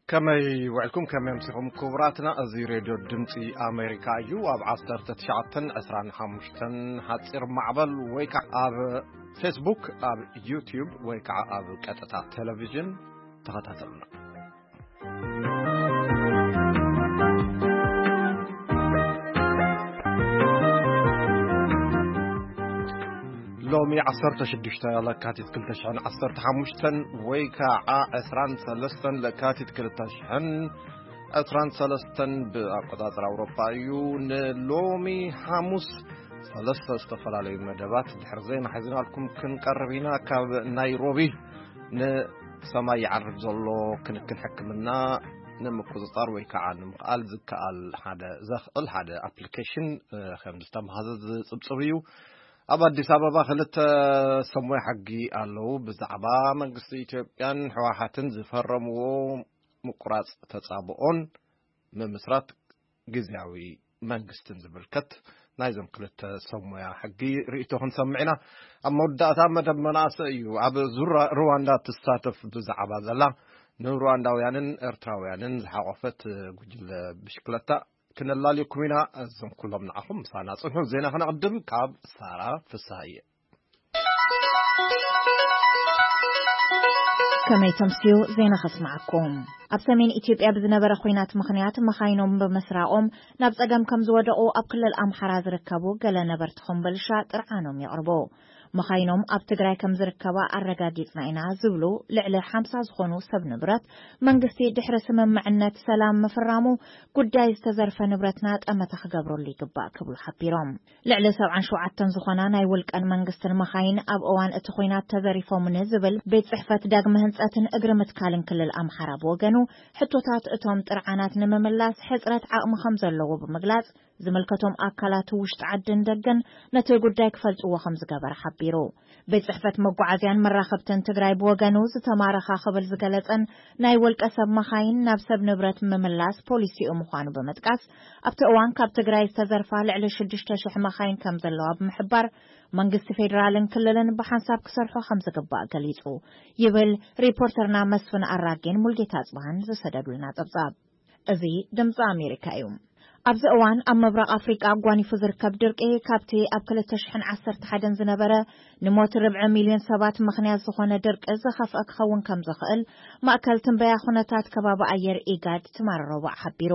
ከመይ ውዕልኩም፣ ከመይ ኣምሲኹም ክቡራትና? እዚ ሬድዮ ድምፂ ኣሜሪካ እዩ። ኣብ ዓሰርተ ትሽዓተን ዕስራን ሓሙሽተን ሓፂር ማዕበል ወይ ከዓ ኣብ ፌስቡክ፣ ኣብ ዩቲዩብ ወይ ከዓ ኣብ ቀጥታ ቴሌቪዥን ተኸታተሉና። ሎሚ ዓሰርተ ሽዱሽተ ለካቲት ክልተ ሽሕን ዓሰርተ ሓሙሽተን ወይ ከዓ ዕስራን ሰለስተን ለካቲት ክልተ ሽሕን ዕስራን ሰለስተን ብኣቆጻጽራ ኣውሮፓ እዩ። ንሎሚ ሓሙስ ሰለስተ ዝተፈላለዩ መደባት ድሕሪ ዜና ሒዝናልኩም ክንቀርብ ኢና። ካብ ናይሮቢ ንሰማይ ይዓርግ ዘሎ ክንክን ሕክምና ንምቁጽጻር ወይ ከዓ ንምኽኣል ዝከኣል ሓደ፣ ዘኽእል ሓደ ኣፕሊኬሽን፣ እ፣ ከም ዝተመሃዘ ዝጽብጽብ እዩ። ኣብ ኣዲስ ኣበባ ክልተ ሰሙያ ሕጊ ኣለዉ። ብዛዕባ መንግስቲ ኢትዮጵያን ህወሓትን ዝፈረምዎ ምቁራጽ ተጻብኦን ምምስራት ግዝያዊ መንግስትን ዝምልከት ናይዞም ክልተ ሰብ ሞያ ሕጊ ርእይቶ ክንሰምዕ ኢና። ኣብ መወዳእታ መደብ መናእሰይ እዩ። ኣብ ዙር ሩዋንዳ ትሳተፍ ብዛዕባ ዘላ ንሩዋንዳውያንን ኤርትራውያንን ዝሓቆፈት ጉጅለ ብሽክለታ ክነላልየኩም ኢና። እዞም ኩሎም ንዓኹም ምሳና ጽንሑ። ዜና ክነቕድም ካብ ሳራ ፍስሃየ። ከመይ ተምስዩ ዜና ከስምዓኩም። ኣብ ሰሜን ኢትዮጵያ ብዝነበረ ኹናት ምኽንያት መኻይኖም ብምስራቖም ናብ ጸገም ከም ዝወደቑ ኣብ ክልል ኣምሓራ ዝርከቡ ገለ ነበርቲ ኮምቦልሻ ጥርዓኖም የቕርቡ። መኻይኖም ኣብ ትግራይ ከም ዝርከባ ኣረጋጊጽና ኢና ዝብሉ ልዕሊ ሓምሳ ዝኾኑ ሰብ ንብረት መንግስቲ ድሕሪ ስምምዕነት ሰላም ምፍራሙ ጉዳይ ዝተዘርፈ ንብረትና ጠመተ ክገብረሉ ይግባእ ክብሉ ሓቢሮም። ልዕሊ ሰብዓን ሸውዓተን ዝኾና ናይ ውልቀን መንግስትን መኻይን ኣብ እዋን እቲ ኹናት ተዘሪፎምኒ ዝብል ቤት ጽሕፈት ዳግመ ህንጸትን እግሪ ምትካልን ክልል ኣምሓራ ብወገኑ፣ ሕቶታት እቶም ጥርዓናት ንምምላስ ሕጽረት ዓቕሚ ከም ዘለዎ ብምግላጽ፣ ዝምልከቶም ኣካላት ውሽጢ ዓድን ደገን ነቲ ጉዳይ ክፈልጥዎ ከም ዝገበረ ሓቢሩ። ቤት ጽሕፈት መጓዓዝያን መራኸብትን ትግራይ ብወገኑ፣ ዝተማረኻ ክብል ዝገለጸን ናይ ውልቀ ሰብ መኻይን ናብ ሰብ ንብረት ምምላስ ፖሊሲኡ ምዃኑ ብምጥቃስ፣ ኣብቲ እዋን ካብ ትግራይ ዝተዘርፋ ልዕሊ ሽዱሽተ ሽሕ መኻይን ከም ዘለዋ ብምሕባር፣ መንግስቲ ፌደራልን ክልልን ብሓንሳብ ክሰርሖ ከም ዝግባእ ገሊጹ ይብል ሪፖርተርና መስፍን ኣራጌን ሙልጌታ ኣጽብሃን ዝሰደዱልና ጸብጻብ። እዚ ድምፂ ኣሜሪካ እዩ። ኣብዚ እዋን ኣብ ምብራቕ ኣፍሪቃ ኣጓኒፉ ዝርከብ ድርቂ፣ ካብቲ ኣብ ክልተ ሽሕን ዓሰርተ ሓደን ዝነበረ ንሞት ርብዒ ሚልዮን ሰባት ምኽንያት ዝኾነ ድርቂ ዝኸፍአ ክኸውን ከም ዝኽእል ማእከል ትንበያ ኩነታት ከባቢ ኣየር ኢጋድ ትማሊ ረቡዕ ሓቢሩ።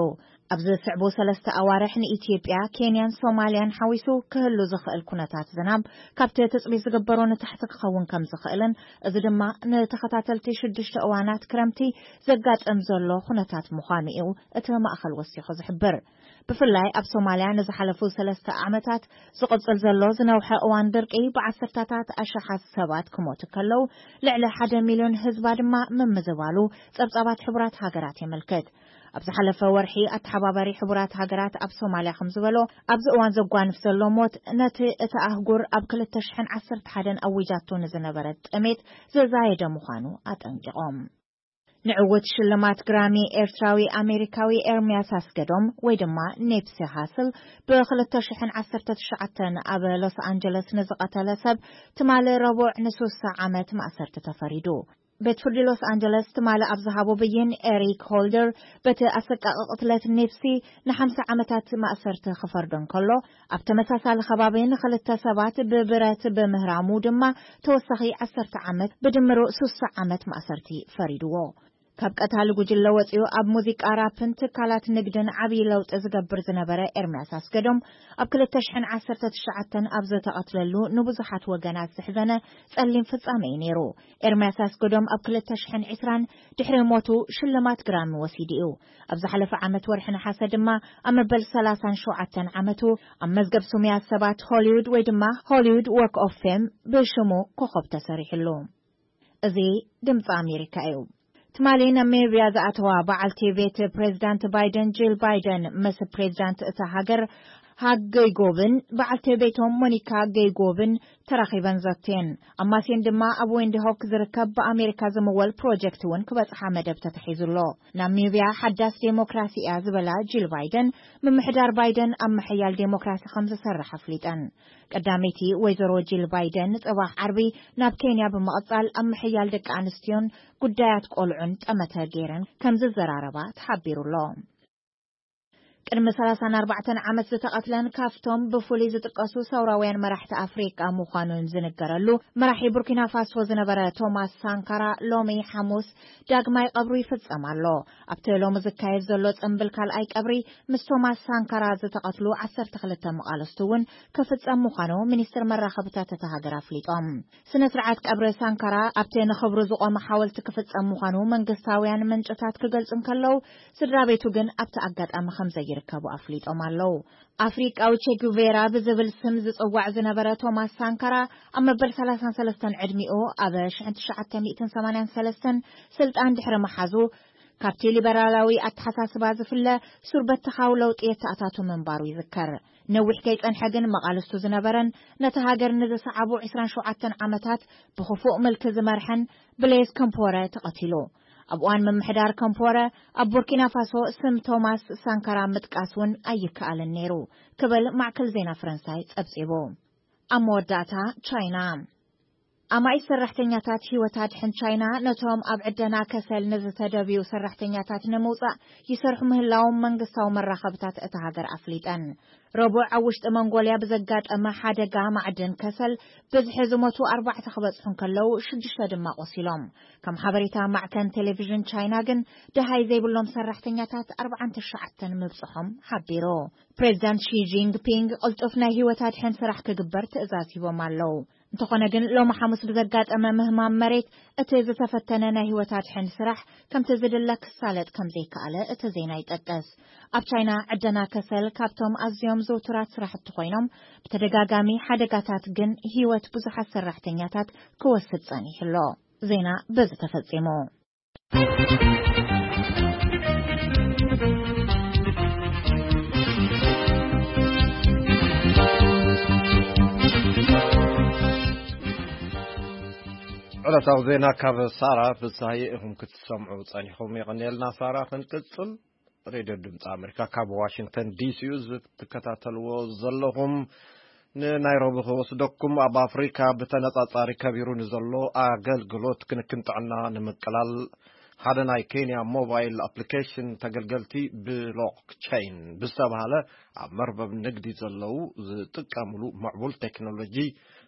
ኣብዚ ዝስዕቡ ሰለስተ ኣዋርሕ ንኢትዮጵያ፣ ኬንያን ሶማልያን ሓዊሱ ክህሉ ዝኽእል ኩነታት ዝናብ ካብቲ ትጽቢት ዝግበሮ ንታሕቲ ክኸውን ከም ዝኽእልን፣ እዚ ድማ ንተኸታተልቲ ሽዱሽተ እዋናት ክረምቲ ዘጋጥም ዘሎ ኩነታት ምዃኑ እዩ እቲ ማእከል ወሲኹ ዝሕብር። ብፍላይ ኣብ ሶማልያ ንዝሓለፉ ሰለስተ ዓመታት ዝቕጽል ዘሎ ዝነውሐ እዋን ድርቂ ብዓሰርታታት ኣሽሓት ሰባት ክሞቱ ከለዉ፣ ልዕሊ ሓደ ሚልዮን ህዝባ ድማ ምምዝባሉ ጸብጻባት ሕቡራት ሃገራት የመልክት። ኣብ ዝሓለፈ ወርሒ ኣተሓባባሪ ሕቡራት ሃገራት ኣብ ሶማልያ ከም ዝበሎ፣ ኣብዚ እዋን ዘጓንፍ ዘሎ ሞት ነቲ እታ ኣህጉር ኣብ ክልተ ሽሕን ዓሰርተ ሓደን ኣዊጃቶ ንዝነበረት ጥሜት ዘዛየደ ምዃኑ ኣጠንቂቖም። ንዕውት ሽልማት ግራሚ ኤርትራዊ ኣሜሪካዊ ኤርምያስ ኣስገዶም ወይ ድማ ኔፕሲ ሃስል ብክልተ ሽሕን ዓሰርተ ትሽዓተን ኣብ ሎስ ኣንጀለስ ንዝቐተለ ሰብ ትማሊ ረቡዕ ንሱሳ ዓመት ማእሰርቲ ተፈሪዱ። ቤት ፍርዲ ሎስ ኣንጀለስ ትማሊ ኣብ ዝሃቦ ብይን፣ ኤሪክ ሆልደር በቲ ኣሰቃቒ ቅትለት ኔፕሲ ንሓምሳ ዓመታት ማእሰርቲ ክፈርዶ እንከሎ፣ ኣብ ተመሳሳሊ ከባቢ ንኽልተ ሰባት ብብረት ብምህራሙ ድማ ተወሳኺ ዓሰርተ ዓመት፣ ብድምሩ ሱሳ ዓመት ማእሰርቲ ፈሪድዎ። ካብ ቀታሊ ጉጅለ ወጺኡ ኣብ ሙዚቃ ራፕን ትካላት ንግድን ዓብዪ ለውጢ ዝገብር ዝነበረ ኤርምያስ ኣስገዶም፣ ኣብ ክልተ ሽሕን ዓሰርተ ትሽዓተን ኣብ ዝተቐትለሉ ንብዙሓት ወገናት ዘሕዘነ ጸሊም ፍጻመ እዩ ነይሩ። ኤርምያስ ኣስገዶም ኣብ ክልተ ሽሕን ዕስራን ድሕሪ ሞቱ ሽልማት ግራሚ ወሲዱ እዩ። ኣብ ዝሓለፈ ዓመት ወርሒ ነሓሰ ድማ ኣብ መበል ሰላሳን ሸውዓተን ዓመቱ ኣብ መዝገብ ስሙያት ሰባት ሆሊውድ ወይ ድማ ሆሊውድ ዎክ ኦፍ ፌም ብሽሙ ኮኸብ ተሰሪሕሉ። እዚ ድምፂ ኣሜሪካ እዩ። ትማሊ ናሚብያ ዝኣተዋ በዓልቲ ቤት ፕሬዚዳንት ባይደን፣ ጂል ባይደን፣ ምስ ፕሬዚዳንት እታ ሃገር ሃግ ገይጎብን በዓልቲ ቤቶም ሞኒካ ገይጎብን ተራኺበን ዘትየን። ኣብ ማሴን ድማ ኣብ ዌንዲ ሆክ ዝርከብ ብኣሜሪካ ዝምወል ፕሮጀክት እውን ክበጽሓ መደብ ተታሒዙ ኣሎ። ናሚብያ ሓዳስ ዴሞክራሲ እያ ዝበላ ጂል ባይደን፣ ምምሕዳር ባይደን ኣብ ምሕያል ዴሞክራሲ ከም ዝሰርሕ ኣፍሊጠን። ቀዳመይቲ ወይዘሮ ጂል ባይደን ጽባሕ ዓርቢ ናብ ኬንያ ብምቕጻል ኣብ ምሕያል ደቂ ኣንስትዮን ጉዳያት ቆልዑን ጠመተ ገይረን ከም ዝዘራረባ ተሓቢሩ ኣሎ። ቅድሚ ሰላሳን ኣርባዕተን ዓመት ዝተቐትለን ካብቶም ብፍሉይ ዝጥቀሱ ሰውራውያን መራሕቲ ኣፍሪቃ ምዃኑን ዝንገረሉ መራሒ ቡርኪና ፋሶ ዝነበረ ቶማስ ሳንካራ ሎሚ ሓሙስ ዳግማይ ቀብሩ ይፍጸም ኣሎ። ኣብቲ ሎሚ ዝካየድ ዘሎ ጽምብል ካልኣይ ቀብሪ ምስ ቶማስ ሳንካራ ዝተቐትሉ ዓሰርተ ክልተ መቓልስቱ እውን ክፍጸም ምዃኑ ሚኒስትር መራኸብታት እታ ሃገር ኣፍሊጦም። ስነ ስርዓት ቀብሪ ሳንካራ ኣብቲ ንኽብሩ ዝቖመ ሓወልቲ ክፍጸም ምዃኑ መንግስታውያን ምንጭታት ክገልጹ እንከለዉ፣ ስድራ ቤቱ ግን ኣብቲ ኣጋጣሚ ከም ዘይርከቡ ኣፍሊጦም ኣለዉ። ኣፍሪቃዊ ቼ ጉቬራ ብዝብል ስም ዝጽዋዕ ዝነበረ ቶማስ ሳንካራ ኣብ መበል ሰላሳን ሰለስተን ዕድሚኡ ኣብ ሽሕን ትሽዓተ ሚእትን ሰማንያን ሰለስተን ስልጣን ድሕሪ ምሓዙ፣ ካብቲ ሊበራላዊ ኣተሓሳስባ ዝፍለ ሱር በተኻዊ ለውጢ የተኣታቱ ምንባሩ ይዝከር። ነዊሕ ከይጸንሐ ግን መቓልስቱ ዝነበረን ነቲ ሃገር ንዝሰዓቡ ዕስራን ሸውዓተን ዓመታት ብኽፉእ ምልኪ ዝመርሐን ብሌዝ ከምፖረ ተቐቲሉ። ኣብ እዋን ምምሕዳር ከምፖረ ኣብ ቡርኪና ፋሶ ስም ቶማስ ሳንካራ ምጥቃስ እውን ኣይከኣልን ነይሩ ክብል ማዕከል ዜና ፈረንሳይ ጸብጺቡ። ኣብ መወዳእታ ቻይና። ኣማኢት ሰራሕተኛታት ህይወት ኣድሕን ቻይና ነቶም ኣብ ዕደና ከሰል ንዝተደብዩ ሰራሕተኛታት ንምውጻእ ይሰርሑ ምህላዎም መንግስታዊ መራኸብታት እታ ሃገር ኣፍሊጠን። ረቡዕ ኣብ ውሽጢ መንጎልያ ብዘጋጠመ ሓደጋ ማዕድን ከሰል ብዝሒ ዝሞቱ ኣርባዕተ ክበጽሑ እንከለዉ ሽዱሽተ ድማ ቆሲሎም። ከም ሓበሬታ ማዕከን ቴሌቪዥን ቻይና ግን ደሃይ ዘይብሎም ሰራሕተኛታት ኣርባዓን ትሽዓተን ምብጽሖም ሓቢሩ። ፕሬዚዳንት ሺ ጂንግፒንግ ቅልጡፍ ናይ ህይወት ኣድሕን ስራሕ ክግበር ትእዛዝ ሂቦም ኣለዉ። እንተኾነ ግን ሎሚ ሓሙስ ብዘጋጠመ ምህማም መሬት እቲ ዝተፈተነ ናይ ህይወት ኣድሕን ስራሕ ከምቲ ዝድለ ክሳለጥ ከም ዘይከኣለ እቲ ዜና ይጠቅስ። ኣብ ቻይና ዕደና ከሰል ካብቶም ኣዝዮም ዝውቱራት ስራሕቲ ኮይኖም ብተደጋጋሚ ሓደጋታት ግን ህይወት ብዙሓት ሰራሕተኛታት ክወስድ ጸኒሑ ኣሎ። ዜና በዚ ተፈጺሙ። ዕለታዊ ዜና ካብ ሳራ ፍስሃየ ኢኹም ክትሰምዑ ጸኒኹም። የቐንየልና ሳራ። ክንቅጽል ሬድዮ ድምፂ ኣሜሪካ ካብ ዋሽንግተን ዲሲ እዩ ዝትከታተልዎ ዘለኹም። ንናይሮቢ ክወስደኩም፣ ኣብ ኣፍሪካ ብተነፃፃሪ ከቢሩ ንዘሎ ኣገልግሎት ክንክን ጥዕና ንምቅላል ሓደ ናይ ኬንያ ሞባይል ኣፕሊኬሽን ተገልገልቲ ብሎክቸይን ብዝተባሃለ ኣብ መርበብ ንግዲ ዘለዉ ዝጥቀምሉ ምዕቡል ቴክኖሎጂ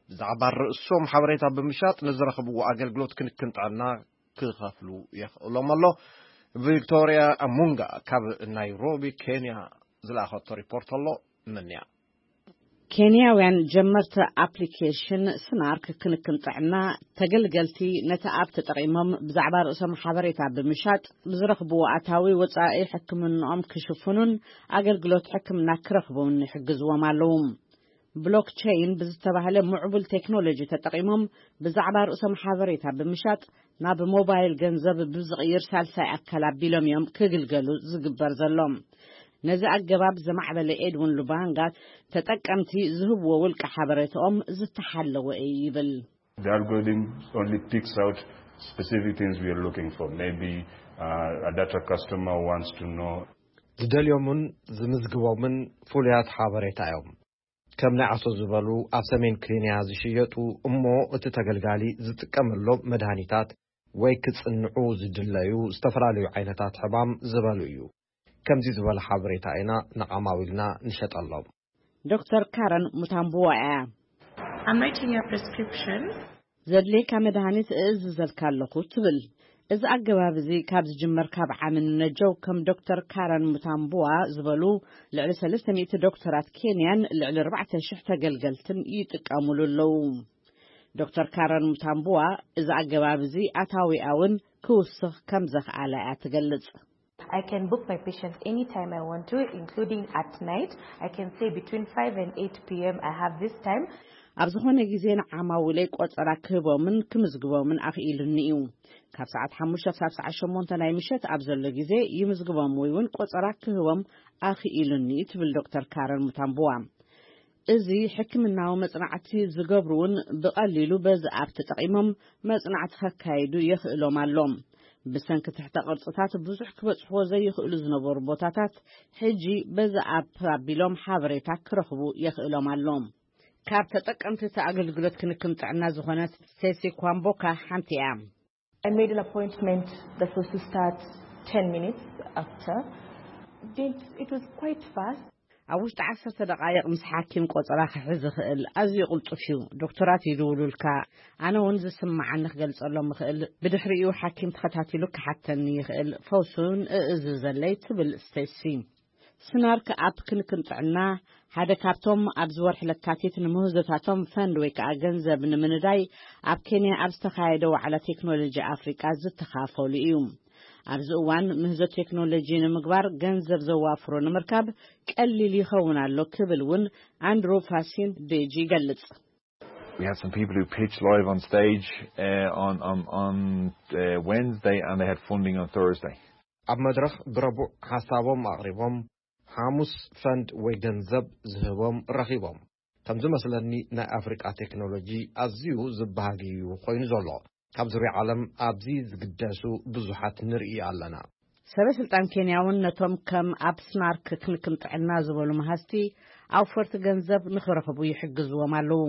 ብዛዕባ ርእሶም ሓበሬታ ብምሻጥ ንዝረኽብዎ ኣገልግሎት ክንክን ጥዕና ክኸፍሉ የኽእሎም ኣሎ። ቪክቶርያ ሙንጋ ካብ ናይሮቢ ኬንያ ዝለኣኸቶ ሪፖርት ኣሎ። ምንያ። ኬንያውያን ጀመርቲ ኣፕሊኬሽን ስናርክ ክንክን ጥዕና ተገልገልቲ ነቲ ኣፕ ተጠቒሞም ብዛዕባ ርእሶም ሓበሬታ ብምሻጥ ብዝረኽብዎ ኣታዊ ወጻኢ ሕክምንኦም ክሽፍኑን ኣገልግሎት ሕክምና ክረኽቡን ይሕግዝዎም ኣለዉ። ብሎክቸይን ብዝተባህለ ምዕቡል ቴክኖሎጂ ተጠቒሞም ብዛዕባ ርእሶም ሓበሬታ ብምሻጥ ናብ ሞባይል ገንዘብ ብዝቕይር ሳልሳይ ኣካል ኣቢሎም እዮም ክግልገሉ ዝግበር ዘሎ። ነዚ ኣገባብ ዘማዕበለ ኤድዊን ሉባንጋ ተጠቀምቲ ዝህብዎ ውልቂ ሓበሬታኦም ዝተሓለወ እዩ ይብል። The algorithm only picks out specific things we are looking for. Maybe uh, a data customer wants to know. ዝደልዮምን ዝምዝግቦምን ፍሉያት ሓበሬታ እዮም። ከም ናይ ዓሶ ዝበሉ ኣብ ሰሜን ኬንያ ዝሽየጡ እሞ እቲ ተገልጋሊ ዝጥቀመሎም መድሃኒታት ወይ ክጽንዑ ዝድለዩ ዝተፈላለዩ ዓይነታት ሕማም ዝበሉ እዩ። ከምዚ ዝበለ ሓበሬታ ኢና ንዓማዊልና ንሸጠሎም። ዶክተር ካረን ሙታምቡዋ እያ። I'm writing your prescription. ዘድልየካ መድሃኒት እእዝዘልካ ኣለኹ ትብል። እዚ ኣገባብ እዚ ካብ ዝጅመር ካብ ዓሚ ንነጀው ከም ዶክተር ካረን ሙታምቡዋ ዝበሉ ልዕሊ ሰለስተ ሚእቲ ዶክተራት ኬንያን ልዕሊ ኣርባዕተ ሽሕ ተገልገልትን ይጥቀሙሉ ኣለዉ። ዶክተር ካረን ሙታምቡዋ እዚ ኣገባብ እዚ ኣታዊኣ እውን ክውስኽ ከም ዘኽኣለ እያ ትገልጽ። I can book my patients anytime I want to, including at night. I can say between five and eight p.m. I have this time. ኣብ ዝኾነ ግዜ ንዓማዊለይ ቆጸራ ክህቦምን ክምዝግቦምን ኣኽኢሉኒ እዩ። ካብ ሰዓት ሓሙሽተ ክሳብ ሰዓት ሸሞንተ ናይ ምሸት ኣብ ዘሎ ግዜ ይምዝግቦም ወይ እውን ቆጸራ ክህቦም ኣኽኢሉኒ እዩ ትብል ዶክተር ካረን ሙታምቡዋ። እዚ ሕክምናዊ መጽናዕቲ ዝገብሩ እውን ብቐሊሉ በዚ ኣፕ ተጠቒሞም መጽናዕቲ ከካይዱ የኽእሎም ኣሎ። ብሰንኪ ትሕተ ቅርጽታት ብዙሕ ክበጽሕዎ ዘይኽእሉ ዝነበሩ ቦታታት ሕጂ በዚ ኣፕ ኣቢሎም ሓበሬታ ክረኽቡ የኽእሎም ኣሎ። ካብ ተጠቀምቲ እቲ ኣገልግሎት ክንክን ጥዕና ዝኾነት ስቴሲ ኳምቦካ ሓንቲ እያ። I made an appointment that was to start ten minutes after. It, it was quite fast. ኣብ ውሽጢ ዓሰርተ ደቓይቕ ምስ ሓኪም ቆጸራ ክሕዝ ይኽእል። ኣዝዩ ቅልጡፍ እዩ። ዶክተራት ይድውሉልካ። ኣነ እውን ዝስምዓኒ ክገልጸሎም ይኽእል። ብድሕሪኡ ሓኪም ተኸታቲሉ ክሓተኒ ይኽእል። ፈውሲ እውን እእዝዘለይ ትብል ስቴሲ። ስናርክ ኣፕ ክንክን ጥዕና ሓደ ካብቶም ኣብዚ ወርሒ ለካቲት ንምህዞታቶም ፈንድ ወይ ከዓ ገንዘብ ንምንዳይ ኣብ ኬንያ ኣብ ዝተኻየደ ዋዕላ ቴክኖሎጂ ኣፍሪቃ ዝተኻፈሉ እዩ። ኣብዚ እዋን ምህዞ ቴክኖሎጂ ንምግባር ገንዘብ ዘዋፍሮ ንምርካብ ቀሊል ይኸውን ኣሎ ክብል እውን ኣንድሩ ፋሲን ዴጂ ይገልጽ። We had some people who pitched live on stage uh, on on on uh, Wednesday, and they had funding on Thursday. ኣብ መድረኽ ብረቡዕ ሓሳቦም ኣቕሪቦም፣ ሓሙስ ፈንድ ወይ ገንዘብ ዝህቦም ረኺቦም። ከም ዝመስለኒ ናይ ኣፍሪቃ ቴክኖሎጂ ኣዝዩ ዝበሃጊ እዩ ኮይኑ ዘሎ። ካብ ዙርያ ዓለም ኣብዚ ዝግደሱ ብዙሓት ንርኢ ኣለና። ሰበ ስልጣን ኬንያ እውን ነቶም ከም ኣብ ስናርክ ክንክን ጥዕና ዝበሉ መሃዝቲ ኣውፈርቲ ገንዘብ ንኽረኽቡ ይሕግዝዎም ኣለዉ።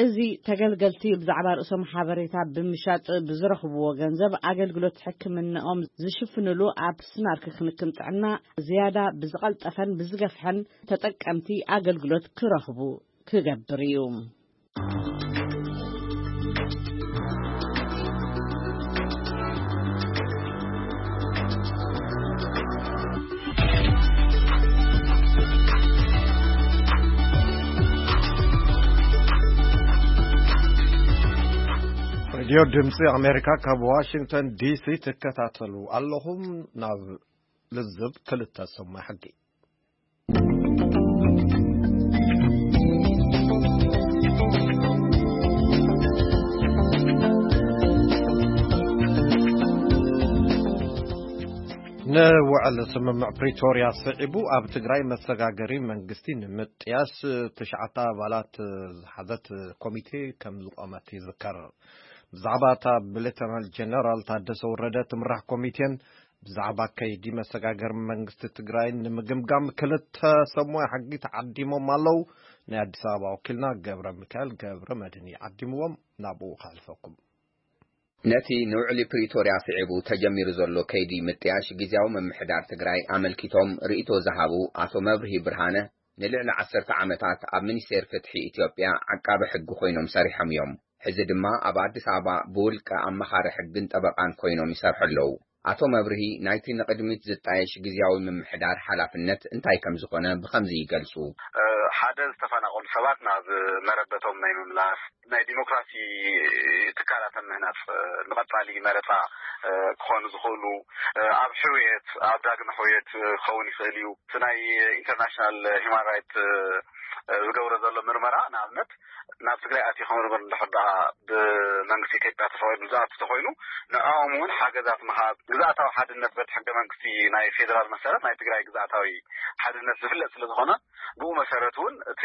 እዚ ተገልገልቲ ብዛዕባ ርእሶም ሓበሬታ ብምሻጥ ብዝረኽብዎ ገንዘብ ኣገልግሎት ሕክምናኦም ዝሽፍንሉ ኣብ ስናርክ ክንክን ጥዕና ዝያዳ ብዝቐልጠፈን ብዝገፍሐን ተጠቀምቲ ኣገልግሎት ክረኽቡ ክገብር እዩ። ሬድዮ ድምፂ ኣሜሪካ ካብ ዋሽንግተን ዲሲ ትከታተሉ ኣለኹም። ናብ ልዝብ ክልተ ሰማይ ሕጊ ንውዕል ስምምዕ ፕሪቶርያ ስዒቡ ኣብ ትግራይ መሰጋገሪ መንግስቲ ንምጥያስ ትሽዓተ ኣባላት ዝሓዘት ኮሚቴ ከም ዝቆመት ይዝከር። ብዛዕባ እታ ብሌተናል ጀነራል ታደሰ ወረደ ትምራሕ ኮሚቴን ብዛዕባ ከይዲ መሰጋገሪ መንግስቲ ትግራይን ንምግምጋም ክልተ ሰሙያ ሕጊ ተዓዲሞም ኣለዉ። ናይ ኣዲስ ኣበባ ወኪልና ገብረ ሚካኤል ገብረ መድህን ይዓዲምዎም። ናብኡ ከሕልፈኩም። ነቲ ንውዕሊ ፕሪቶርያ ስዒቡ ተጀሚሩ ዘሎ ከይዲ ምጥያሽ ግዜያዊ ምምሕዳር ትግራይ ኣመልኪቶም ርእይቶ ዝሃቡ ኣቶ መብርሂ ብርሃነ፣ ንልዕሊ ዓሰርተ ዓመታት ኣብ ሚኒስቴር ፍትሒ ኢትዮጵያ ዓቃቢ ሕጊ ኮይኖም ሰሪሖም እዮም። ሕዚ ድማ ኣብ ኣዲስ ኣበባ ብውልቀ ኣመኻሪ ሕግን ጠበቃን ኮይኖም ይሰርሑ ኣለዉ። ኣቶ መብርሂ ናይቲ ንቕድሚት ዝጣየሽ ግዜያዊ ምምሕዳር ሓላፍነት እንታይ ከም ዝኾነ ብኸምዚ ይገልጹ። ሓደ፣ ዝተፈናቐሉ ሰባት ናብ መረበቶም ናይ ምምላስ፣ ናይ ዲሞክራሲ ትካላት ምህናጽ፣ ንቐጻሊ መረጻ ክኾኑ ዝኽእሉ፣ ኣብ ሕውየት፣ ኣብ ዳግመ ሕውየት ክኸውን ይኽእል እዩ። እቲ ናይ ኢንተርናሽናል ሂውማን ራይት ዝገብሮ ዘሎ ምርመራ፣ ንኣብነት፣ ናብ ትግራይ ኣትዩ ክምርምር እንድሕር ደኣ ብመንግስቲ ኢትዮጵያ ተፈቒዱ ዝኣቱ ተኾይኑ፣ ንዕኦም እውን ሓገዛት ምሃብ፣ ግዝኣታዊ ሓድነት በቲ ሕገ መንግስቲ ናይ ፌደራል መሰረት ናይ ትግራይ ግዝኣታዊ ሓድነት ዝፍለጥ ስለ ዝኾነ፣ ብኡ መሰረት እውን እቲ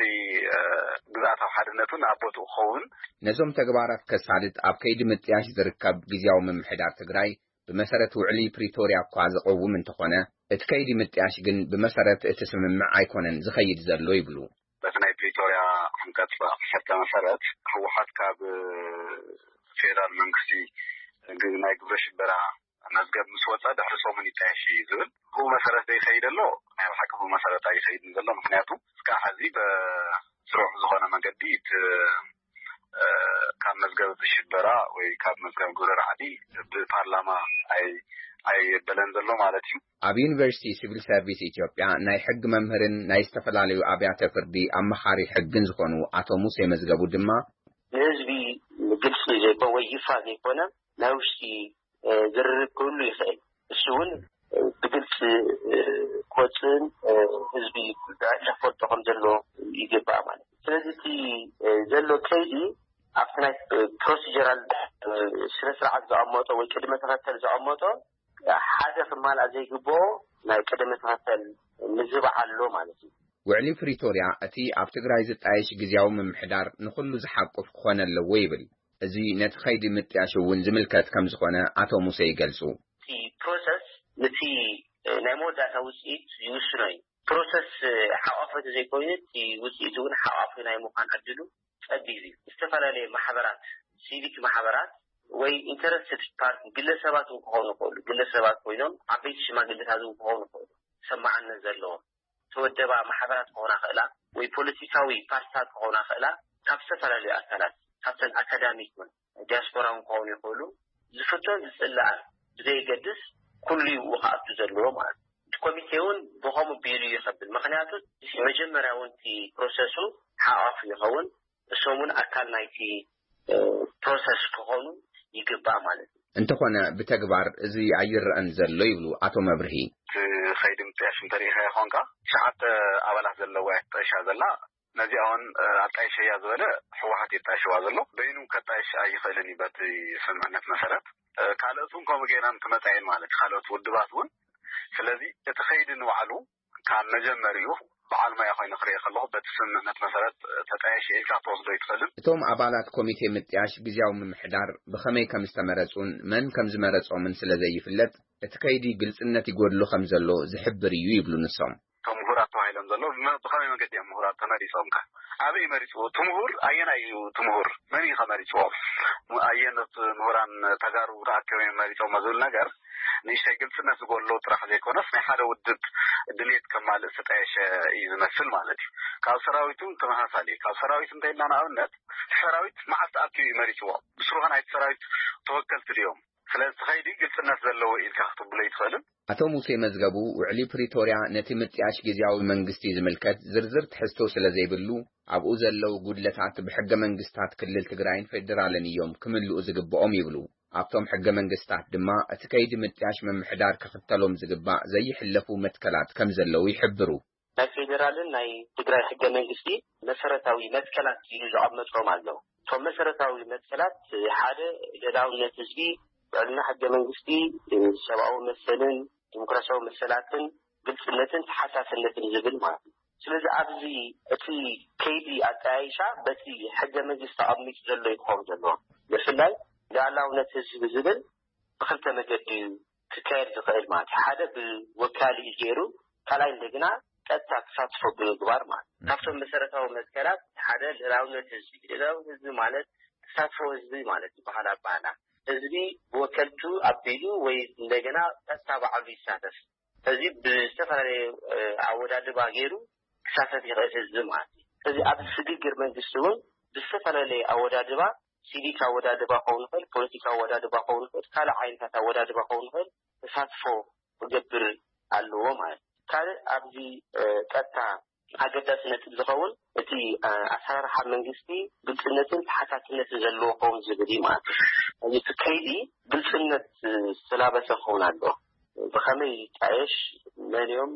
ግዝኣታዊ ሓድነት እውን ኣብ ቦትኡ ክኸውን። ነዞም ተግባራት ከሳልጥ ኣብ ከይዲ ምጥያሽ ዝርከብ ግዝያዊ ምምሕዳር ትግራይ ብመሰረት ውዕሊ ፕሪቶርያ እኳ ዝቐውም እንተኾነ፣ እቲ ከይዲ ምጥያሽ ግን ብመሰረት እቲ ስምምዕ ኣይኮነን ዝኸይድ ዘሎ ይብሉ። በቲ ናይ ፕሪቶርያ ዓንቀፅ ዓሰርተ መሰረት ህወሓት ካብ ፌደራል መንግስቲ ግ- ናይ ግብረ ሽበራ መዝገብ ምስ ወፀ ድሕሪ ሰሙን ይጣየሽ እዩ ዝብል። ብኡ መሰረት ዘይኸይድ ኣሎ። ናይ ብሓቂ ብኡ መሰረት ኣይኸይድን ዘሎ። ምክንያቱ እስካዕ ሕዚ ብስሩዕ ዝኾነ መገዲ እቲ ካብ መዝገብ ሽበራ ወይ ካብ መዝገብ ግብረ ራዕዲ ብፓርላማ ኣይ ኣይበለን ዘሎ ማለት እዩ። ኣብ ዩኒቨርሲቲ ሲቪል ሰርቪስ ኢትዮጵያ ናይ ሕጊ መምህርን ናይ ዝተፈላለዩ ኣብያተ ፍርዲ ኣመኻሪ ሕግን ዝኾኑ ኣቶ ሙሴ መዝገቡ ድማ፣ ንህዝቢ ግልፂ ዘይኮነ ወይ ይፋ ዘይኮነ ናይ ውሽጢ ዝርርብ ክህሉ ይኽእል። እሱ እውን ብግልፂ ክወፅእን ህዝቢ ክፈልጦ ከም ዘለዎ ይግባእ ማለት እዩ። ስለዚ እቲ ዘሎ ከይዲ ኣብቲ ናይ ፕሮሲጀራል ስነ ስርዓት ዘቐመጦ ወይ ቅድመ ተኸተል ዘቐመጦ ሓደ ክማልኣ ዘይግብኦ ናይ ቅድመ ተኸተል ምዝባዕ ኣሎ ማለት እዩ። ውዕሊ ፕሪቶርያ እቲ ኣብ ትግራይ ዝጣየሽ ግዜያዊ ምምሕዳር ንኹሉ ዝሓቁፍ ክኾን ኣለዎ ይብል። እዚ ነቲ ኸይዲ ምጥያሽ እውን ዝምልከት ከም ዝኾነ ኣቶ ሙሴ ይገልጹ። እቲ ፕሮሰስ ነቲ ናይ መወዳእታ ውፅኢት ይውስኖ እዩ። ፕሮሰስ ሓቋፊ ዘይኮይኑ እቲ ውፅኢት እውን ሓቋፊ ናይ ምዃን ዕድሉ ጸቢብ እዩ። ዝተፈላለየ ማሕበራት፣ ሲቪክ ማሕበራት ወይ ኢንተረስትድ ፓርቲ፣ ግለሰባት እውን ክኾኑ ይኽእሉ። ግለሰባት ኮይኖም ዓበይቲ ሽማግሌታት እውን ክኾኑ ይኽእሉ። ሰማዕነት ዘለዎም ተወደባ ማሕበራት ክኾና ክእላ ወይ ፖለቲካዊ ፓርቲታት ክኾና ክእላ ካብ ዝተፈላለዩ ኣካላት፣ ካብተን ኣካዳሚክ እውን ዲያስፖራ እውን ክኾኑ ይኽእሉ። ዝፍቶን ዝጽላኣን ብዘየገድስ ኩሉ ይብኡ ክኣቱ ዘለዎ ማለት እዩ። እቲ ኮሚቴ እውን ብኸምኡ ቢሉ ይኸብል። ምኽንያቱ መጀመርያ እውን እቲ ፕሮሰሱ ሓቋፍ ይኸውን። እሶም እውን ኣካል ናይቲ ፕሮሰስ ክኾኑ ይግባእ ማለት እዩ። እንተኾነ ብተግባር እዚ ኣይረኣን ዘሎ ይብሉ ኣቶ መብርሂ። እቲ ኸይዲ ምጥያሽ እንተሪኢኻ ይኾንካ ትሽዓተ ኣባላት ዘለዋ እያ ትጠይሻ ዘላ። ነዚኣ እውን ኣጣይሸያ ዝበለ ህወሓት የጣይሸዋ ዘሎ። በይኑ ከጣይሽ ኣይኽእልን እዩ በቲ ስምምዕነት መሰረት። ካልኦት እውን ከምኡ ገይረን ክመፃ እየን ማለት እዩ፣ ካልኦት ውድባት እውን። ስለዚ እቲ ኸይዲ ንባዕሉ ካብ መጀመሪኡ በዓል ሞያ ኮይኑ ክሪኦ ከለኹ በቲ ስምምዕነት መሰረት ተጣይሽ ኢልካ ክትወስዶ ኣይትኽእልን። እቶም ኣባላት ኮሚቴ ምጥያሽ ግዜያዊ ምምሕዳር ብኸመይ ከም ዝተመረጹን መን ከም ዝመረጾምን ስለ ዘይፍለጥ እቲ ከይዲ ግልጽነት ይጎድሎ ከም ዘሎ ዝሕብር እዩ ይብሉ ንሶም። እቶም ምሁራት ተባሂሎም ዘለዉ ብመ- ብኸመይ መገዲ እዮም ምሁራት ተመሪጾም ከ? ኣበይ መሪጽዎ? እቲ ምሁር ኣየናይ እዩ? እቲ ምሁር መን እዩ ከመሪጽዎ? ኣየኖት ምሁራን ተጋሩ ተኣከበ መሪጾሞ ዝብል ነገር ንእሽተይ ግልጽነት ዝጎሎ ጥራሕ ዘይኮነስ ናይ ሓደ ውድብ ድሌት ከማልእ ዝተጣየሸ እዩ ዝመስል ማለት እዩ። ካብ ሰራዊቱ ተመሳሳሊ እዩ። ካብ ሰራዊት እንተኢልና ንኣብነት እቲ ሰራዊት መዓስ ተኣኪቡ እዩ መሪጽዎ? ብስሩኸ ናይቲ ሰራዊት ተወከልቲ ድዮም? ስለዚ እቲ ኸይዲ ግልጽነት ዘለዎ ኢልካ ክትብሎ ኣይትኽእልን። ኣቶ ሙሴ መዝገቡ ውዕሊ ፕሪቶርያ ነቲ ምጥያሽ ግዜያዊ መንግስቲ ዝምልከት ዝርዝር ትሕዝቶ ስለ ዘይብሉ ኣብኡ ዘለዉ ጉድለታት ብሕገ መንግስታት ክልል ትግራይን ፌዴራልን እዮም ክምልኡ ዝግብኦም ይብሉ። ኣብቶም ሕገ መንግስታት ድማ እቲ ከይዲ ምጥያሽ ምምሕዳር ክኽተሎም ዝግባእ ዘይሕለፉ መትከላት ከም ዘለዉ ይሕብሩ። ናይ ፌዴራልን ናይ ትግራይ ሕገ መንግስቲ መሰረታዊ መትከላት ኢሉ ዘቐመጦም ኣለዉ። እቶም መሰረታዊ መትከላት ሓደ ልዕላውነት ህዝቢ፣ ልዕልና ሕገ መንግስቲ፣ ሰብኣዊ መሰልን ዲሞክራሲያዊ መሰላትን ግልፅነትን ተሓታትነትን ዝብል ማለት እዩ። ስለዚ ኣብዚ እቲ ከይዲ ኣጠያይሻ በቲ ሕገ መንግስቲ ተቐሚጡ ዘሎ እዩ ክኸውን ዘለዎ። ብፍላይ ልዕላውነት ህዝቢ ዝብል ብክልተ መገዲ እዩ ክካየድ ዝኽእል ማለት እዩ። ሓደ ብወካሊ ገይሩ፣ ካልኣይ እንደገና ቀጥታ ተሳትፎ ብምግባር ማለት እዩ። ካብቶም መሰረታዊ መትከላት ሓደ ልዕላውነት ህዝቢ። ልዕላውነት ህዝቢ ማለት ተሳትፎ ህዝቢ ማለት ዝበሃል ኣባህላ። ህዝቢ ብወከልቱ ኣቢሉ ወይ እንደገና ቀጥታ ባዕሉ ይሳተፍ። እዚ ብዝተፈላለየ ኣወዳድባ ገይሩ ክሳተፍ ይኽእል ህዝቢ ማለት እዩ። ስለዚ ኣብ ስግግር መንግስቲ እውን ብዝተፈላለየ ኣወዳድባ፣ ሲቪክ ኣወዳድባ ክኸውን ይኽእል፣ ፖለቲካ ኣወዳድባ ክኸውን ይኽእል፣ ካልእ ዓይነታት ኣወዳድባ ክኸውን ይኽእል፣ ተሳትፎ ክገብር ኣለዎ ማለት እዩ። ካልእ ኣብዚ ቀጥታ ኣገዳሲ ነጥብ ዝኸውን እቲ ኣሰራርሓ መንግስቲ ግልፅነትን ተሓታትነትን ዘለዎ ክኸውን ዝብል እዩ ማለት እዩ። እዚ እቲ ከይዲ ግልፅነት ዝተላበሰ ክኸውን ኣለዎ። ብኸመይ ይጣየሽ፣ መን እዮም፣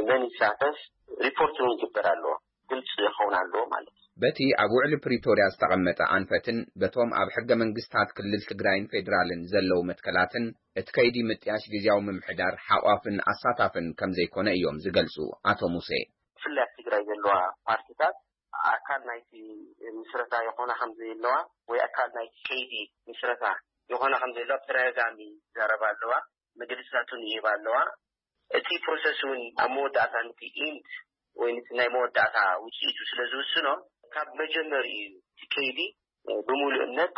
መን ይሳተፍ፣ ሪፖርት እውን ይግበር ኣለዎ። ግልፂ ክኸውን ኣለዎ ማለት እዩ። በቲ ኣብ ውዕሊ ፕሪቶርያ ዝተቐመጠ ኣንፈትን በቶም ኣብ ሕገ መንግስታት ክልል ትግራይን ፌዴራልን ዘለዉ መትከላትን እቲ ከይዲ ምጥያሽ ግዜያዊ ምምሕዳር ሓቋፍን ኣሳታፍን ከም ዘይኮነ እዮም ዝገልፁ ኣቶ ሙሴ። ብፍላይ ኣብ ትግራይ ዘለዋ ፓርቲታት ኣካል ናይቲ ምስረታ ይኾና ከም ዘየለዋ ወይ ኣካል ናይቲ ከይዲ ምስረታ ይኾና ከም ዘየለዋ ብተደጋጋሚ ይዛረባ ኣለዋ። መግለፅታት እውን ይህባ ኣለዋ። እቲ ፕሮሰስ እውን ኣብ መወዳእታ ነቲ ኢንድ ወይ ነቲ ናይ መወዳእታ ውፅኢቱ ስለ ዝውስኖ ካብ መጀመሪኡ እዩ እቲ ከይዲ ብምሉእነት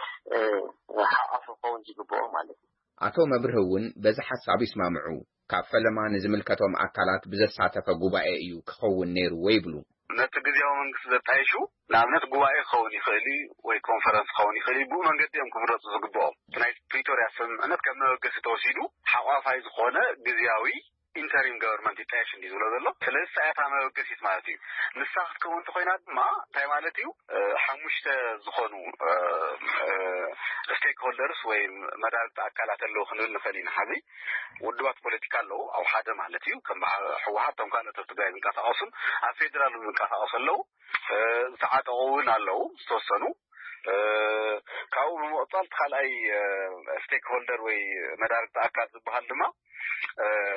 ሓቋፊ ክኸውን ዝግብኦ ማለት እዩ። ኣቶ መብርህ እውን በዚ ሓሳብ ይስማምዑ። ካብ ፈለማ ንዝምልከቶም ኣካላት ብዘሳተፈ ጉባኤ እዩ ክኸውን ነይርዎ ይብሉ። ነቲ ግዜያዊ መንግስቲ ዘጣይሹ ንኣብነት ጉባኤ ክኸውን ይኽእል እዩ ወይ ኮንፈረንስ ክኸውን ይኽእል እዩ። ብኡ መንገዲ እዮም ክምረፁ ዝግብኦም። እቲ ናይ ፕሪቶርያ ስምምዕነት ከም መበገሲ ተወሲዱ ሓቋፋይ ዝኾነ ግዜያዊ ኢንተሪም ገቨርንመንት ይጣየሽ እንዲ ዝብሎ ዘሎ። ስለዚ እሳ እያ እታ መበገሲት ማለት እዩ። ንሳ ክትከውን እንተኮይና ድማ እንታይ ማለት እዩ? ሓሙሽተ ዝኾኑ ስቴክሆልደርስ ወይ መዳርግቲ ኣካላት ኣለዉ ክንብል ንኽእል ኢና። ሓዚ ውድባት ፖለቲካ ኣለዉ ኣብ ሓደ ማለት እዩ። ከም ህወሓት፣ ከም ካልኦት ኣብ ትግራይ ዝንቀሳቐሱን ኣብ ፌዴራል ዝንቀሳቐሱ ኣለዉ። ዝተዓጠቑ እውን ኣለዉ ዝተወሰኑ። ካብኡ ብምቕፃል እቲ ካልኣይ ስቴክሆልደር ወይ መዳርግቲ ኣካል ዝበሃል ድማ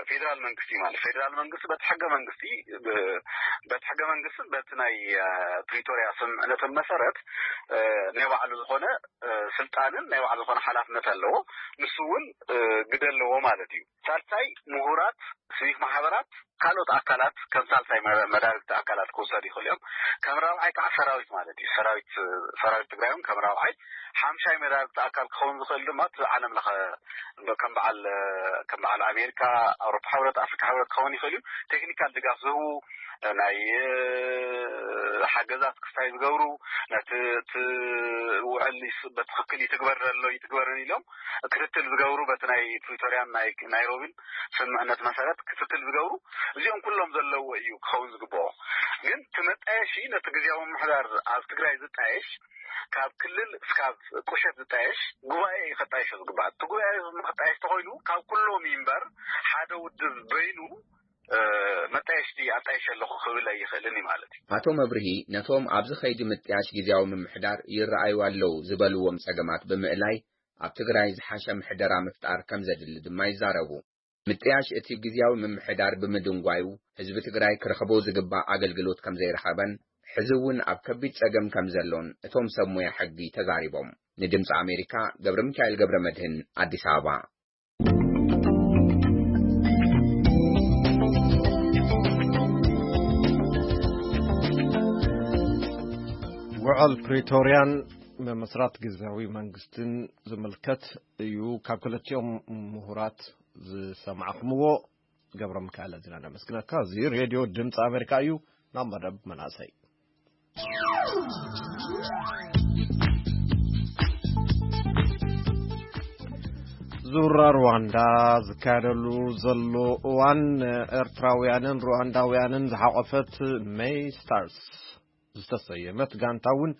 ፌዴራል መንግስቲ ማለት፣ ፌዴራል መንግስቲ በቲ ሕገ መንግስቲ በቲ ሕገ መንግስትን በቲ ናይ ፕሪቶሪያ ስምምዕነትን መሰረት ናይ ባዕሉ ዝኾነ ስልጣንን ናይ ባዕሉ ዝኾነ ሓላፍነት ኣለዎ። ንሱ እውን ግደ ኣለዎ ማለት እዩ። ሳልሳይ ምሁራት፣ ስቪክ ማሕበራት፣ ካልኦት ኣካላት ከም ሳልሳይ መዳርግቲ ኣካላት ክውሰዱ ይኽእሉ እዮም። ከም ራብዓይ ከዓ ሰራዊት ማለት እዩ። ሰራዊት ሰራዊት ትግራይ እውን ከም ራብዓይ። ሓምሻይ መዳርግቲ ኣካል ክኸውን ዝኽእል ድማ እቲ ዓለም ለኸ ከም በዓል ከም በዓል ኣሜሪካ፣ ኣውሮፓ ሕብረት፣ ኣፍሪካ ሕብረት ክኸውን ይኽእል እዩ። ቴክኒካል ድጋፍ ዝህቡ፣ ናይ ሓገዛት ክስታይ ዝገብሩ፣ ነቲ እቲ ውዕል በትክክል ይትግበር ዘሎ ይትግበርን ኢሎም ክትትል ዝገብሩ፣ በቲ ናይ ፕሪቶሪያን ናይ ናይሮቢን ስምምዕነት መሰረት ክትትል ዝገብሩ፣ እዚኦም ኩሎም ዘለዎ እዩ ክኸውን ዝግብኦ። ግን እቲ መጣየሺ ነቲ ግዜያዊ ምምሕዳር ኣብ ትግራይ ዝጣየሽ፣ ካብ ክልል እስካብ ቁሸት ዝጣየሽ ጉባኤ እዩ ከጣይሾ ዝግባእ። እቲ ጉባኤ ክጣየሽ ተኮይኑ ካብ ኩሎም ይንበር ሓደ ውድብ በይኑ መጣየሽቲ ኣጣይሸ ኣለኹ ክብል ኣይኽእልን እዩ ማለት እዩ። ኣቶ መብርሂ ነቶም ኣብዚ ኸይዲ ምጥያሽ ግዜያዊ ምምሕዳር ይረኣዩ ኣለዉ ዝበልዎም ጸገማት ብምእላይ፣ ኣብ ትግራይ ዝሓሸ ምሕደራ ምፍጣር ከም ዘድሊ ድማ ይዛረቡ። ምጥያሽ እቲ ግዜያዊ ምምሕዳር ብምድንጓዩ፣ ህዝቢ ትግራይ ክረኽቦ ዝግባእ ኣገልግሎት ከም ዘይረኸበን፣ ሕዚ እውን ኣብ ከቢድ ጸገም ከም ዘሎን እቶም ሰብ ሞያ ሕጊ ተዛሪቦም። ንድምፂ ኣሜሪካ ገብረ ሚካኤል ገብረ መድህን ኣዲስ ኣበባ። ውዕል ፕሪቶርያን ምምስራት ግዝያዊ መንግስትን ዝምልከት እዩ። ካብ ክልቲኦም ምሁራት ዝሰማዕኹምዎ ገብረ ሚካኤል ኣዚና ነመስግነካ። እዚ ሬድዮ ድምፂ ኣሜሪካ እዩ። ናብ መደብ መናእሰይ። ዙራ ሩዋንዳ ዝካየደሉ ዘሎ እዋን፣ ኤርትራውያንን ሩዋንዳውያንን ዝሓቆፈት ሜይ ስታርስ ዝተሰየመት ጋንታ እውን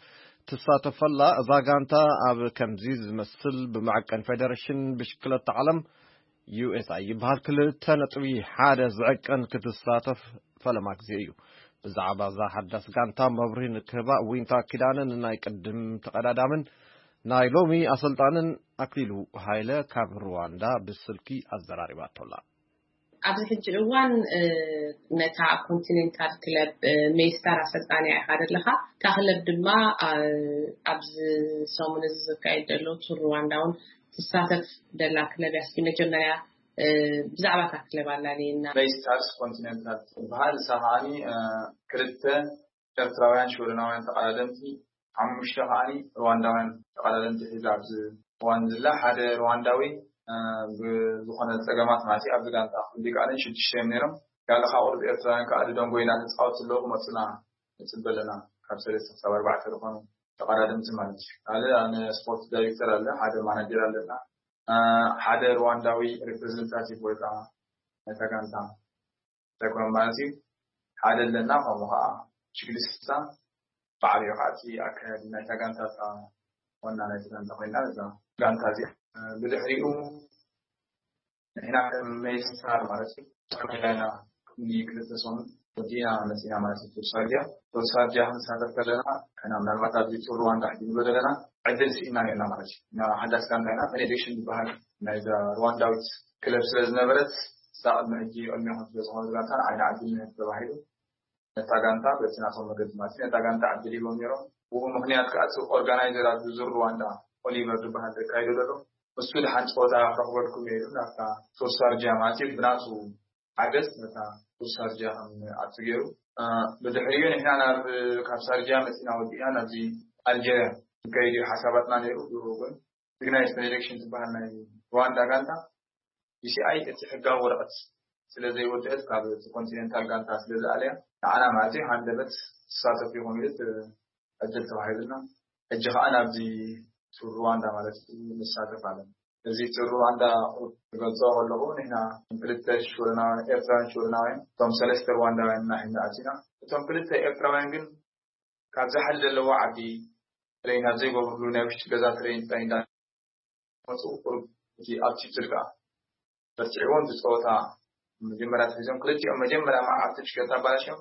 ትሳተፈላ። እዛ ጋንታ ኣብ ከምዚ ዝመስል ብመዐቀን ፌደሬሽን ብሽክለታ ዓለም ዩ ኤስ ኣይ ይበሃል ክልተ ነጥቢ ሓደ ዝዕቀን ክትሳተፍ ፈለማ ግዜ እዩ። ብዛዕባ እዛ ሓዳስ ጋንታ መብርሂ ንክህባ ዊንታ ኪዳነ ንናይ ቅድም ተቐዳዳምን ናይ ሎሚ ኣሰልጣንን ኣክሊሉ ሃይለ ካብ ሩዋንዳ ብስልኪ ኣዘራሪባቶላ። ኣብዚ ሕጂ እዋን ነታ ኮንቲኔንታል ክለብ ሜይስታር ኣሰልጣንያ ኢኻ ዘለኻ። እታ ክለብ ድማ ኣብዚ ሰሙን እዚ ዝካየድ ዘሎ ቱር ሩዋንዳ እውን ትሳተፍ ደላ ክለብ እያ። እስኪ መጀመርያ ብዛዕባ እታ ክለብ ኣላልየና። ሜይስታርስ ኮንቲኔንታል ትበሃል። ንሳ ከዓኒ ክልተ ኤርትራውያን ሽወደናውያን ተቐዳደምቲ፣ ሓሙሽተ ከዓኒ ሩዋንዳውያን ተቐዳደምቲ ሒዛ ኣብዚ እዋን ዝላ። ሓደ ሩዋንዳዊ ብዝኾነ ፀገማት ማለት እዩ ኣብዚ ጋንታ ክህሉ ኣይከኣለን። ሽዱሽተ እዮም ነይሮም። ካልእ ካብ ቁሩብ ኤርትራውያን ከዓ ድደንጎ ኢና ተፃወትቲ ኣለዉ ክመፁና ንፅበ ኣለና። ካብ ሰለስተ ክሳብ ኣርባዕተ ዝኾኑ ተቐዳደምቲ ማለት እዩ። ካልእ ኣነ ስፖርት ዳይሬክተር ኣለ፣ ሓደ ማናጀር ኣለና፣ ሓደ ሩዋንዳዊ ሪፕሬዘንታቲቭ ወይ ከዓ ናይታ ጋንታ እንታይ ኮነ ማለት እዩ። ሓደ ኣለና፣ ከምኡ ከዓ ችግሊስታ ባዕሉ እዩ ከዓ እቲ ኣካያዲ ናይታ ጋንታ፣ እታ ዋና ናይቲ ጋንታ ኮይና እዛ ጋንታ እዚኣ። ብድሕሪኡ ንሕና ከም ሜይስታር ማለት እዩ ተመያና ንክልተ ሰሙን ወዲእና መፂና ማለት እዩ። ቱርሳርጃ ቱርሳርጃ ክንሳተፍ ከለና ንሕና ምናልባት ኣብዚ ቱር ሩዋንዳ ሕጂ ንብሎ ዘለና ዕድል ስኢና ነርና ማለት እዩ። እና ሓዳስ ጋንታ ኢና፣ ቤኔዲክሽን ዝበሃል ናይዛ ሩዋንዳዊት ክለብ ስለ ዝነበረት እሳ ቅድሚ ሕጂ ቅድሚኹም ስለ ዝኾነት ጋንታ ንዓይና ዕድል ንህብ ተባሂሉ ነታ ጋንታ በቲ ናቶም መገዲ ማለት እዩ ነታ ጋንታ ዕድል ሂቦም ነይሮም። ብኡ ምኽንያት ከዓ እቲ ኦርጋናይዘር ኣብዚ ዙር ሩዋንዳ ኦሊቨር ዝበሃል ዘካይዶ ዘሎ እሱ ደሓን ፀወታ ክረኽበልኩም እየ ኢሉ ናብታ ቱርሳርጃ ማለት እዩ ብናቱ ሓገዝ ነታ ቱርሳርጃ ከም ኣቱ ገይሩ። ብድሕሪኡ ንሕና ናብ ካብ ሳርጃ መፂና ወዲእና ናብዚ ኣልጀርያ ክንከይድ እዩ ሓሳባትና ነይሩ። ብኡ ግን ትግራይ ሴሌክሽን ዝበሃል ናይ ሩዋንዳ ጋንታ ዩ ሲ ኣይ እቲ ሕጋዊ ወረቐት ስለ ዘይወደአት ካብ እቲ ኮንቲኔንታል ጋንታ ስለ ዝኣለያ ንዓና ማለት እዩ ሃንደበት ትሳተፍ ይኾን ኢሉ ዕድል ተዋሂብና። ሕጂ ከዓ ናብዚ ቱር ሩዋንዳ ማለት እዩ ንሳተፍ ኣለና። እዚ እቲ ሩዋንዳ ቁሩብ ክገልጾ ከለኹ፣ ንሕና ክልተ ሽወደናውያን፣ ኤርትራውያን ሽወደናውያን፣ እቶም ሰለስተ ሩዋንዳውያን ኢና ኣቲና። እቶም ክልተ ኤርትራውያን ግን ካብ ዛሕሊ ዘለዎ ዓዲ ትሬን ኣብ ዘይገብርሉ ናይ ውሽጢ ገዛ ትሬን ጥራይ እንዳ መጹ ቁሩብ እቲ ኣቲቲዩድ ከኣ በርቲዕዎም። እቲ ጸወታ መጀመርያ ተሒዞም ክልቲኦም መጀመርያ መዓልቲ ብሽክለታ ኣባላሽዮም፣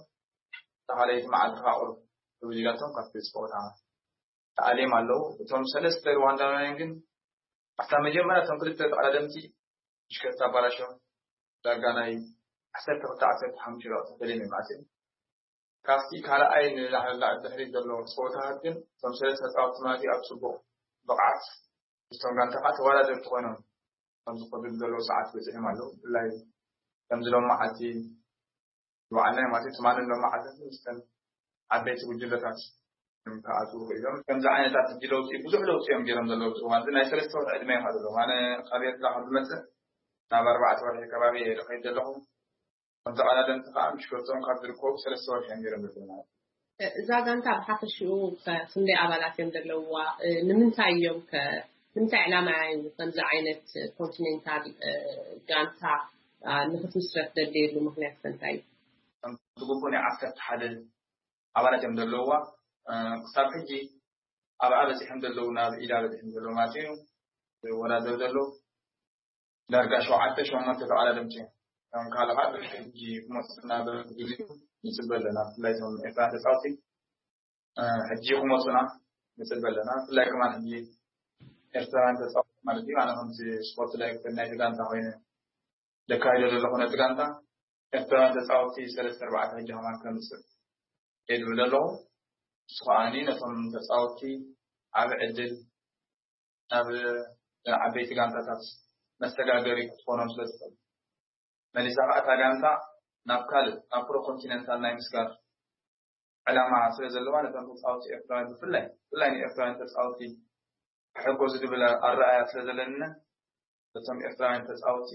እታ ካልኣይቲ መዓልቲ ከኣ ቁሩብ ክብል ኢላቶም ካብቲ ጸወታ ተኣልዮም ኣለዉ። እቶም ሰለስተ ሩዋንዳውያን ግን ኣብታ መጀመርያ እቶም ክልተ ተቐዳደምቲ ብሽክለታ ኣባላሽዮም ዳርጋ ናይ ዓሰርተ ክልተ ዓሰርተ ሓሙሽተ ደቂቕ ተፈልዮም እዮም ኣትዮም። ካብቲ ካልኣይ ንላዕሊ ድሕሪት ዘሎ ጸወታታት ግን እቶም ሰለስተ ተጻወትቲ ማለት እዩ ኣብ ጽቡቕ ብቕዓት ምስቶም ጋንታ ከኣ ተወዳደርቲ ኮይኖም ኣብ ዝኸዱ ዘለዉ ሰዓት በጺሖም ኣለዉ። ብፍላይ ከምዚ ሎም መዓልቲ ዝወዓልና ማለት እዩ። ትማልን ሎም መዓልትን ምስተን ዓበይቲ ጉጅለታት እዮም ክኣትዉ ክኢሎም። ከምዚ ዓይነታት ሕጂ ለውጢ፣ ብዙሕ ለውጢ እዮም ገይሮም ዘለዉ ኣብዚ እዋን እዚ። ናይ ሰለስተ ወርሒ ዕድመ እዮም ዘለዉ። ኣነ ካብ ኤርትራ ካብ ዝመጽእ ናብ ኣርባዕተ ወርሒ ከባቢ እየ ዝኸይድ ዘለኹ። ከም ተቐዳደምቲ ከኣ ምሽ ገጾም ካብ ዝርከቡ ሰለስተ ወርሒ እዮም ገይሮም ዘለዉ ማለት እዩ። እዛ ጋንታ ብሓፈሽኡ ከ ክንደይ ኣባላት እዮም ዘለውዋ? እ፣ ንምንታይ እዮም ከ፣ ንምንታይ ዕላማ እዩ ከምዚ ዓይነት ኮንቲኔንታል፣ እ፣ ጋንታ፣ አ፣ ንኽትምስረት ደልየሉ ምኽንያት ከ እንታይ እዩ? ከም ዝግቡእ ናይ ዓሰርተ ሓደ ኣባላት እዮም ዘለውዋ። እ፣ ክሳብ ሕጂ ኣብኣ በጺሖም ዘለዉ፣ ናብ ኢዳ በጺሖም ዘለዉ ማለት እዩ። ዝወዳደሩ ዘለዉ ዳርጋ ሸውዓተ ሸሞንተ ተቐዳደምቲ እዮም። ከም ካልእ ከዓ ብሕጂ ክመፁ እናበሉ ግዜኡ ንፅበ ኣለና። ብፍላይ እቶም ኤርትራውያን ተፃወቲ፣ እ፣ ሕጂ ክመፁና ንፅበ ኣለና። ብፍላይ ከማን ሕጂ ኤርትራውያን ተፃወቲ ማለት እዩ። ኣነ ከምዚ ስፖርት ዳይሬክተር ናይቲ ጋንታ ኮይነ ዘካይዶ ዘለኹ ነቲ ጋንታ ኤርትራውያን ተፃወቲ ሰለስተ ኣርባዕተ ሕጂ ከማን ከምፅእ እየ ዝብል ዘለኹ። ንሱ ከዓኒ ነቶም ተፃወቲ ዓቢ ዕድል ናብ ዓበይቲ ጋንታታት መሰጋገሪ ክትኾኖም ስለ ትኽእል፣ መሊሳ ከኣ እታ ጋንታ ናብ ካልእ፣ ናብ ፕሮ ኮንቲነንታል ናይ ምስጋር ዕላማ ስለ ዘለዋ፣ ነቶም ተፃወቲ ኤርትራውያን ብፍላይ፣ ብፍላይ ንኤርትራውያን ተፃወቲ ክሕገዙ ዝብል ኣረኣእያ ስለ ዘለኒ፣ ነቶም ኤርትራውያን ተፃወቲ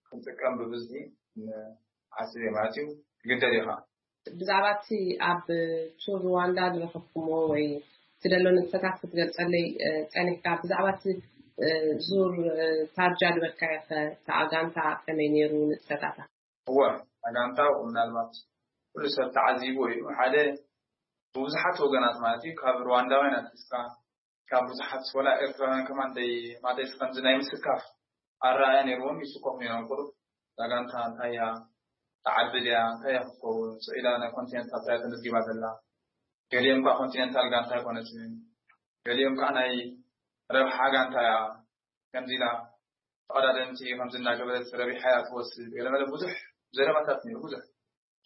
ክንጥቀም ብብዝሒ ንሓስብ እየ ማለት እዩ። ትግደድ ኢኻ። ብዛዕባ እቲ ኣብ ቱር ሩዋንዳ ዝረኸብኩምዎ ወይ እቲ ዘሎ ንጥፈታት ክትገልጸለይ፣ እ፣ ጸኒሕካ፣ ብዛዕባ እቲ፣ እ፣ ዙር፣ እ፣ ታርጃ ዝበልካዮ ከ፣ እታ ጋንታ ከመይ ነይሩ ንጥፈታታ? እወ፣ እታ ጋንታ ምናልባት ኩሉ ሰብ ተዓዚብዎ እዩ። ሓደ ብብዙሓት ወገናት ማለት እዩ፣ ካብ ሩዋንዳውያን ኣትሒዝካ፣ ካብ ብዙሓት ወላ ኤርትራውያን ከማን ደይ-፣ ማለትስ ከምዚ ናይ ምስካፍ ኣረኣእያ ነይርዎም፣ ይስከፉ ነይሮም። ቁሩብ እዛ ጋንታ እንታይ እያ፣ ትዓቢ ድያ፣ እንታይ እያ ክትከውን፣ ስቕ ኢላ ናይ ኮንቲነንታል ጥራይ ተመዝጊባ ዘላ። ገሊኦም ከኣ ኮንቲነንታል ጋንታ ኣይኮነትን፣ ገሊኦም ከኣ ናይ ረብሓ ጋንታ እያ፣ ከምዚ ኢላ ተቐዳደምቲ ከምዚ እናገበረት ረቢሓ እያ ትወስድ፣ ገለመለ ብዙሕ ዘረባታት ነይሩ፣ ብዙሕ።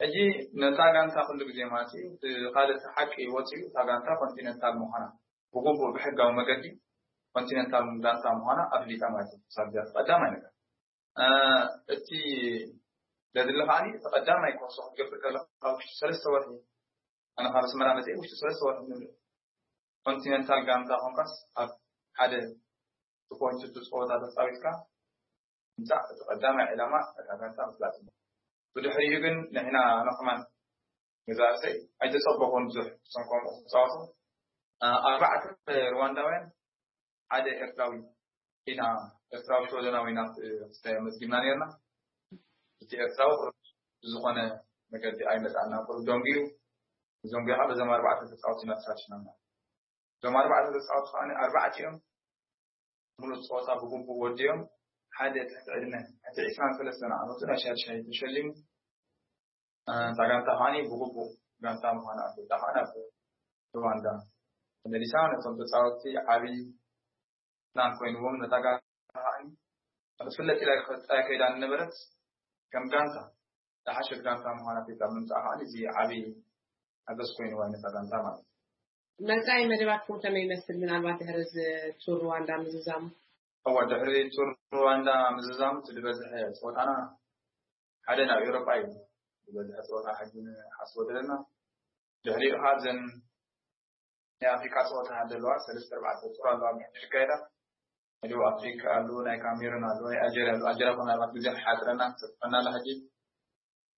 ሕጂ ነታ ጋንታ ኩሉ ግዜ ማለት እዩ፣ እቲ ካልእ እቲ ሓቂ ወፂኡ፣ እታ ጋንታ ኮንቲነንታል ምዃና ብግቡእ ብሕጋዊ መገዲ ኮንቲነንታል ጋንታ ምዃና ኣፍሊጣ ማለት እዩ። ሳብ እዚኣ ቀዳማይ ነገር። እ፣ እቲ ዘድሊ ከዓኒ እቲ ቀዳማይ ኮርሶ ክትገብር ከለኻ ኣብ ውሽጢ ሰለስተ ወርሒ፣ ኣነ ካብ ኣስመራ መፅእ ውሽጢ ሰለስተ ወርሒ ንብል ኮንቲነንታል ጋንታ ኮንካስ ኣብ ሓደ ፖይንት ጸወታ ተጻዊትካ ምጻእ እቲ ቀዳማይ ዕላማ እታ ጋንታ ምፍላጥ እዩ። ብድሕሪኡ ግን ንሕና ኣነ ከማን ገዛ ርእሰይ ኣይተጸበኹን ብዙሕ እቶም ከምኡ ክጻወቱ። እ፣ ኣርባዕተ ሩዋንዳውያን ሓደ ኤርትራዊ ኢና፣ ኤርትራዊ ሽወደናዊ ኢና፣ እ፣ ክስተ መዝጊብና ነርና። እቲ ኤርትራዊ ቁሩብ ብዝኾነ መገዲ ኣይመጻና፣ ቁሩብ ደንጉዩ፣ ደንጉዩ ከዓ በዞም ኣርባዕተ ተጻወቲ ኢና ተሳቲፍና። እዞም ኣርባዕተ ተጻወቲ ከዓኒ ኣርባዕቲኦም ሙሉእ ጸወታ ብግቡእ ወዲኦም፣ ሓደ ትሕቲ ዕድመ፣ ትሕቲ ዕስራን ሰለስተን ዓመቱ ናይ ሻድሻይ ተሸሊሙ። እ፣ እታ ጋንታ ከዓኒ ብግቡእ ጋንታ ምዃና ኣፍሊጣ ከኣ ናብ ሩዋንዳ ተመሊሳ። ነቶም ተጻወትቲ ዓቢ ፕላን ኮይንዎም፣ ነታ ጋንታ ከዓኒ ክትፍለጥ ኢላ ቀጻይ ከይዳ ዝነበረት ከም ጋንታ ዝሓሸት ጋንታ ምዃና ኣፍሊጣ ምምጻኣ ከዓኒ እዚ ዓቢ ሓገዝ ኮይንዋ ነታ ጋንታ ማለት እዩ። መጻኢ መደባትኩም ከመይ ይመስል? ምናልባት ድሕሪ እዚ ቱር ሩዋንዳ ምዝዛሙ? እወ፣ ድሕሪ ቱር ሩዋንዳ ምዝዛሙ እቲ ዝበዝሐ ጸወታና ሓደ ናብ ኤውሮጳ እዩ። ዝበዝሐ ጸወታ ሕጂ ንሓስቦ ዘለና። ድሕሪኡ ከኣ እዘን ናይ ኣፍሪቃ ጸወታታት ዘለዋ ሰለስተ ኣርባዕተ ጡር ኣለዋ ምሕድር ይካየዳ። ሕጂ ኣፍሪቃ ኣሎ፣ ናይ ካሜሩን ኣሎ፣ ናይ ኣልጀርያ ኣሎ። ኣልጀርያ እኮ ምናልባት ግዜ ክሓጽረና ክጽፈና ኣሎ። ሕጂ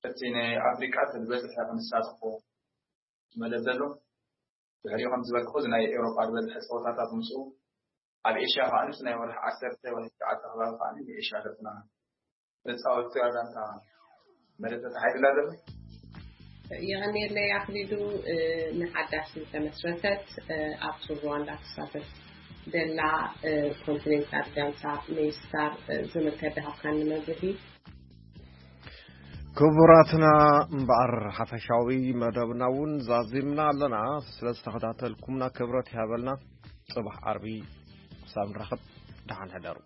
እቲ ናይ ኣፍሪቃ እቲ ዝበዝሐ ክንሳተፎ መደብ ዘሎ። ድሕሪኡ ከም ዝበልኩ እዚ ናይ ኤውሮጳ ዝበዝሐ ጸወታታት ምስኡ ኣብ ኤሽያ ከዓ ምስ ናይ ወርሒ ዓሰርተ ወይ ትሽዓተ ከባቢ ከዓ ንኤሽያ ገፅና ንፃወት እያ ጋንታ መደብ ተታሒዝላ ዘሎ። የቐንየለይ ኣኽሊሉ። ንሓዳሽ ዝተመስረተት ኣብ ሩዋንዳ ትሳተፍ ደላ ኮንቲኔንታል ጋንታ ሜይስታር ዝምልከት ድሃብካኒ መብርሂ። ክቡራትና እምበኣር ሓፈሻዊ መደብና እውን ዛዚምና ኣለና። ስለ ዝተኸታተልኩምና ክብረት ይሃበልና። ፅባሕ ዓርቢ ክሳብ ንራኸብ ደሓን ሕደሩ።